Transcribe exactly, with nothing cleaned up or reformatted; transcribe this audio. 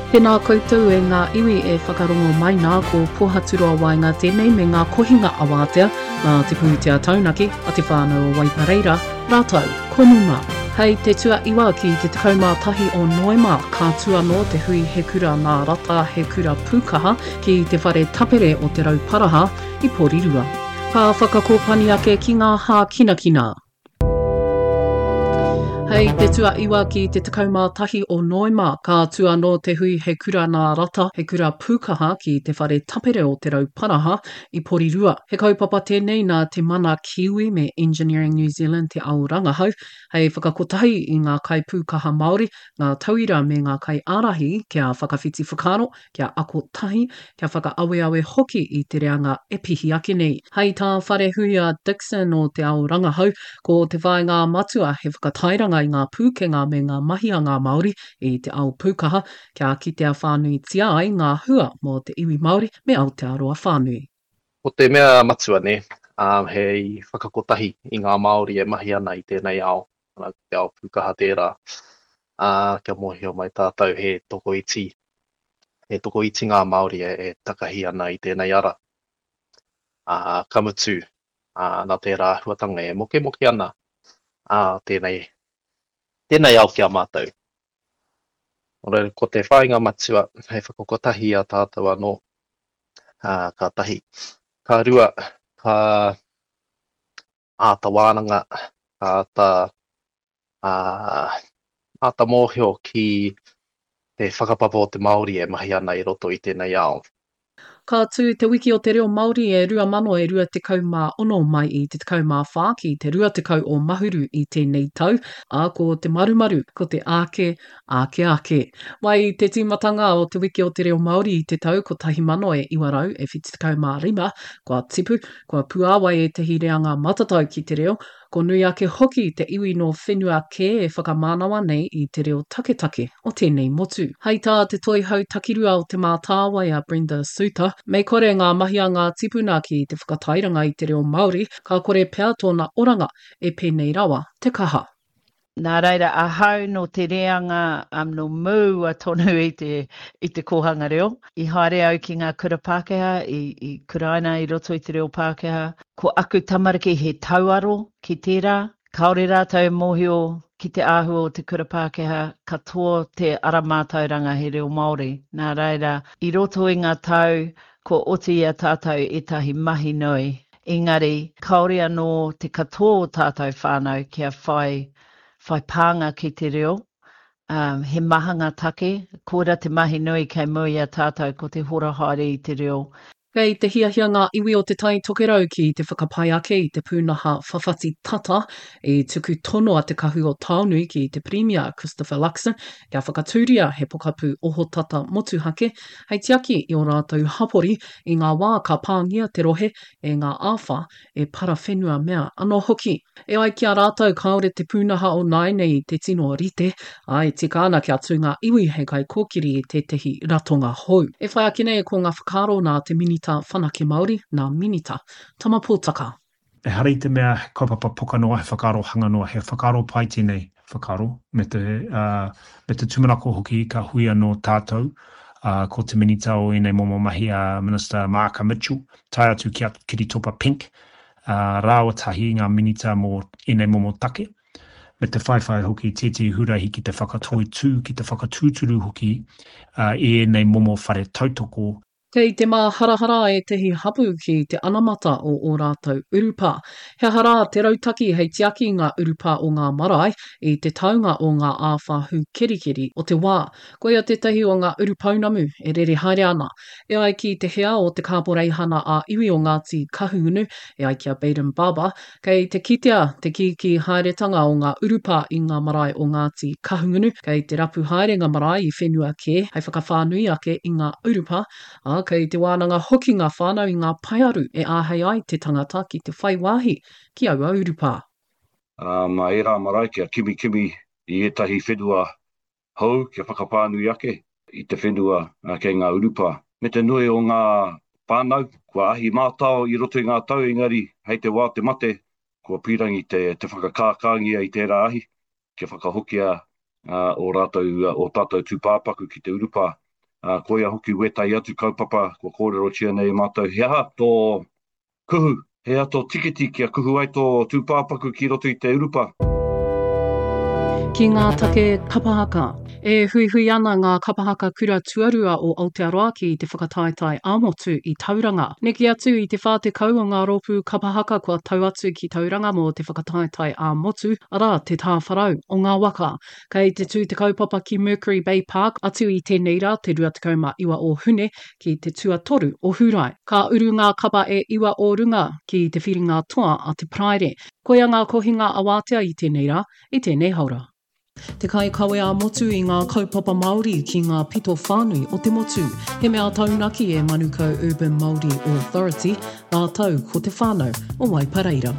Tēnā koutou e ngā iwi e whakarongo mai nā ko Pohaturoa Waenga tēnei me ngā kohinga awātea nā te pūtea taunaki a te whānau o Waipareira, rātou ko Numa. Hei te tuaiwa ki te tekau mā tahi o Noema, ka tū anō te hui He Kura Nā Rata, He Kura Pūkaha ki te whare tapere o Te Rauparaha i Porirua. Ka whakakōpani ake ki ngā hākinakina. Hei te tuaiwa ki te tekau mā tahi o Noema, ka tū anō te hui He Kura Nā Rata, He Kura Pūkaha ki te whare tapere o Te Rauparaha i Porirua. He kaupapa tēnei nā Te Mana Kiwi me Engineering New Zealand Te Ao Rangahau hei whakakotahi i ngā kaipūkaha Māori, ngā tauira me ngā kaiārahi kia whakawhiti whakaaro, kia ako tahi, kia whakaaweawe hoki i te reanga e pihi ake nei. Hei tā Wharehuia Dixon o Te Ao Rangahau, ko te whāinga matua he whakatairanga i ngā pūkenga me ngā mahi a ngā Māori i te ao pūkaha, kia kitea whānuitia ai ngā hua mō te iwi Māori me Aotearoa whānui. Ko te mea matua nē, hei whakakotahi i ngā Māori e mahi ana i tēnei ao, ko te ao pūkaha tērā, ā, kia mōhio mai tātou he tokoiti, he tokoiti ngā Māori e, e takahi ana i tēnei ara. Ā, ka mutu, ā, nā tērā āhuatanga e mokemoke ana, ā, tēnei, tēnei ao ki a mātou. Nō reira, ko te whāinga matua hei whakakotahi i a tātou anō, ā, ka tahi. Ka rua, ka āta wānanga, ka āta, ā, āta mōhio ki te whakapapa o te Māori e mahi ana i roto i tēnei ao. Ka tū Te Wiki o te Reo Māori e rua mano e rua tekau mā ono mai i te tekau mā whā ki te rua tekau o Mahuru i tēnei tau, ā, ko te marumaru, ko te āke, āke ake. Mai i te tīmatanga o Te Wiki o te Reo Māori i te tau kotahi mano e iwa rau e whitu tekau mā rima, kua tipu, kua puāwai ētehi reanga matatau ki te reo, Ko nui ake hoki te iwi nō whenua kē e whakamānawa nei i te reo taketake o tēnei motu. Hai tā te Toihau Takirua o Te Mātāwai a Brenda Suter, mei kore ngā mahi a ngā tipuna ki te whakatairanga i te reo Māori, ka kore pea tōna oranga e pēnei rawa te kaha. Nā reira, ahau nō te reanga um, nō mua tonu i te, i te kōhanga reo. I haere au ki ngā kura Pākehā, i, i kuraina i roto i te reo Pākehā. Ko aku tamariki he tauaro ki tērā. Kāore rātou e mōhio ki te āhua o te kura Pākehā, katoa te ara mātauranga he reo Māori. Nā reira, i roto i ngā tau, kua oti i a tātou ētahi mahi nui. Engari, kāore anō te katoa o tātou whānau kia whai, whai pānga ki te reo. Um, he maha ngā take, koira te mahi nui kei mua i a tātou ko te hora haere i te reo. Kei te hiahia ngā iwi o Te Tai Tokerau ki te whakapai ake i te pūnaha whawhati tata i tuku tono a Te Kahu o Taonui ki te Pirimia Christopher Luxon kia whakatūria he pokapū ohotata motuhake hei tiaki i ō rātou hapori i ngā wā ka pāngia te rohe e ngā āwhā, e parawhenua mea anō hoki. E ai ki a rātou kāore te pūnaha o nāianei i te tino rite, ā, e tika ana kia tū ngā iwi hei kaikōkiri i tētehi ratonga hou. E whai ake nei ko ngā whakaaro nā te Minita Whanake Māori, nā Minita Tama Potaka. Ehara i te mea he kaupapa poka noa, he whakaaro hanga noa, he whakaaro pai tēnei whakaaro, me te, me te tūmanako hoki ka hui anō tātou, ko te Minita o ēnei momo mahi a Minister Maaka Mitchell, tae atu ki a Kiritopa Pink, rāua tahi ngā Minita mō ēnei momo take, me te whaiwhai hoki tētehi huarahi ki te whakatoitū, ki te whakatūturu hoki i ēnei momo whare tautoko. Kei te māharahara ētehi hapū ki te anamata o ō rātou urupā. He aha rā te rautaki hei tiaki i ngā urupā o ngā marae i te taunga o ngā āwhā hūkerikeri o te wā? Koia tētahi o ngā urupounamu e rere haere ana. E ai ki te hea o te Kāporeihana ā-Iwi o Ngāti Kahungunu, e ai ki a Baden Barber, Kei te kitea te kīkī haeretanga o ngā urupā i ngā marae o Ngāti Kahungunu, kei te rapu haere ngā marae i whenua kē hei whakawhānui ake i ngā urupā, ā, kei te wānanga hoki ngā whānau i ngā paearu e āhei ai te tangata ki te whai wāhi ki aua urupā. Ā, mā ērā marae kia kimikimi i ētahi whenua hou kia whakawhānui ake i te whenua kei ngā urupā. Me te nui o ngā whānau kua ahi mātao i roto i ngā tau engari hei te wā o te mate kua pīrangi te te whakakākāngia i tērā ahi kia whakahokia ō rātou, ō tātou tūpāpaku ki te urupā. Ā, koia hoki wētahi atu kaupapa kua kōrerotia nei e mātou, he aha tō kuhu, he aha tō tikiti kia kuhu ai tō tūpāpaku ki roto i te urupā? Ki ngā take kapa haka. E huihui ana ngā kapa haka kura tuarua o Aotearoa ki te whakataetae ā-motu i Tauranga. Neke atu i te whā tekau o ngā rōpū kapa haka kua tau atu ki Tauranga mō te whakataetae ā-motu, arā, te tāwharau o ngā waka. Kei te tū te kaupapa ki Mercury Bay Park atu i tēnei rā, te rua tekau mā iwa o Hune, ki te tuatoru o Hūrae. Ka uru ngā kapa e iwa o runga ki te whiringa toa a te Paraire. Koia ngā kohinga awātea i tēnei rā, i tēnei haora. Te kaikawe ā-motu i ngā kaupapa Māori ki ngā pito whānui o te motu. He mea taunaki e Manukau Urban Māori Authority rātou ko te whānau o Waipareira.